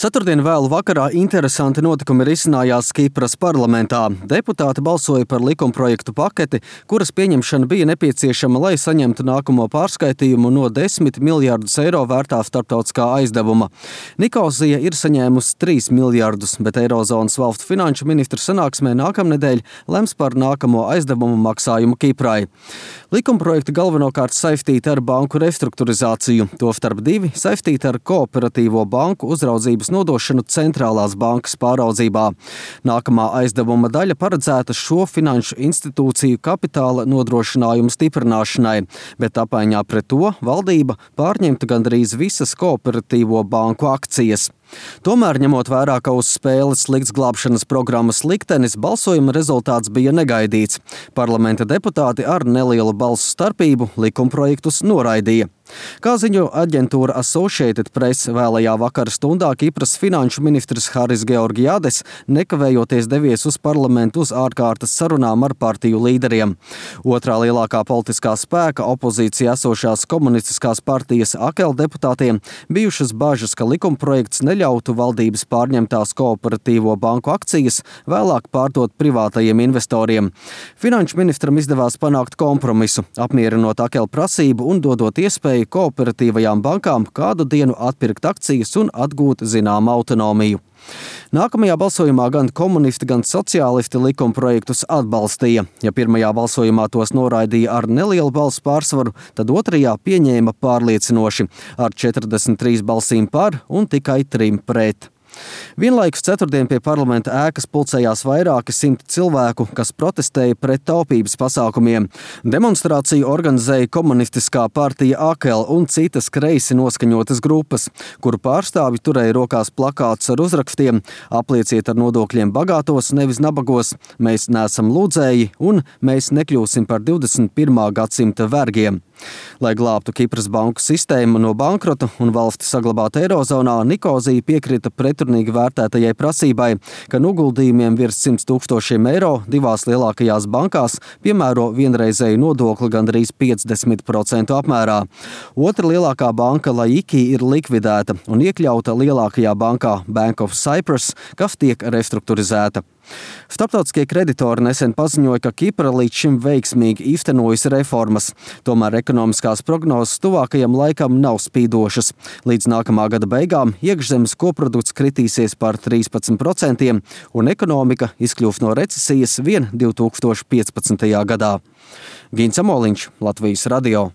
Ceturtdien vēlu vakarā interesanti notikumi risinājās Kipras parlamentā. Deputāti balsoja par likumprojektu paketi, kuras pieņemšana bija nepieciešama, lai saņemtu nākamo pārskaitījumu no 10 miljārdus eiro vērtā starptautiskā aizdevuma. Nikosija ir saņēmusi 3 miljārdus, bet Eirozonas valstu finanšu ministru sanāksmē nākamnedēļ lems par nākamo aizdevumu maksājumu Kiprai. Likumprojekti galvenokārt saistīti ar banku restruktūrizāciju, tostarp 2 saistīti ar kooperatīvo banku uzraudzības nodošanu centrālās bankas pāraudzībā. Nākamā aizdevuma daļa paredzēta šo finanšu institūciju kapitāla nodrošinājumu stiprināšanai, bet apmaiņā pret to valdība pārņemta gandrīz visas kooperatīvo banku akcijas. Tomēr, ņemot vērā, ka uz spēles likts glābšanas programmas liktenis, balsojuma rezultāts bija negaidīts. Parlamenta deputāti ar nelielu balsu starpību likumprojektus noraidīja. Kā ziņo aģentūra Associated Press, vēlajā vakara stundā Kipras finanšu ministrs Haris Georgiades nekavējoties devies uz parlamentu uz ārkārtas sarunām ar partiju līderiem. Otrā lielākā politiskā spēka opozīcijā esošās komunistiskās partijas AKEL deputātiem bijušas bažas, ka likumprojekts neļautu valdības pārņemtās kooperatīvo banku akcijas vēlāk pārdot privātajiem investoriem. Finanšu ministram izdevās panākt kompromisu, apmierinot AKEL prasību un dodot iespēju kooperatīvajām bankām kādu dienu atpirkt akcijas un atgūt zināmu autonomiju. Nākamajā balsojumā gan komunisti, gan sociālisti likumprojektus atbalstīja. Ja pirmajā balsojumā tos noraidīja ar nelielu balsu pārsvaru, tad otrajā pieņēma pārliecinoši ar 43 balsīm par un tikai 3 pret. Vienlaikus ceturtdien pie parlamenta ēkas pulcējās vairāki 100 cilvēku, kas protestēja pret taupības pasākumiem. Demonstrāciju organizēja komunistiskā partija AKEL un citas kreisi noskaņotas grupas, kuru pārstāvji turēja rokās plakātus ar uzrakstiem "Aplieciet ar nodokļiem bagātos, nevis nabagos", "Mēs neesam lūdzēji" un "Mēs nekļūsim par 21. gadsimta vergiem". Lai glābtu Kipras banku sistēmu no bankrota un valsti saglabātu Eirozonā, Nikosija piekrita pretrunīgi vērtētajai prasībai, ka noguldījumiem virs 100 000 eiro divās lielākajās bankās piemēro vienreizēju nodokli gandrīz 50% apmērā. Otra lielākā banka Laiki ir likvidēta un iekļauta lielākajā bankā Bank of Cyprus, kas tiek restruktūrizēta. Starptautiskie kreditori nesen paziņoja, ka Kipra līdz šim veiksmīgi īstenojas reformas. Tomēr ekonomiskās prognozes tuvākajam laikam nav spīdošas. Līdz nākamā gada beigām iekšzemes koprodukts kritīsies par 13% un ekonomika izkļūs no recesijas vien 2015. gadā. Gins Amoliņš, Latvijas radio.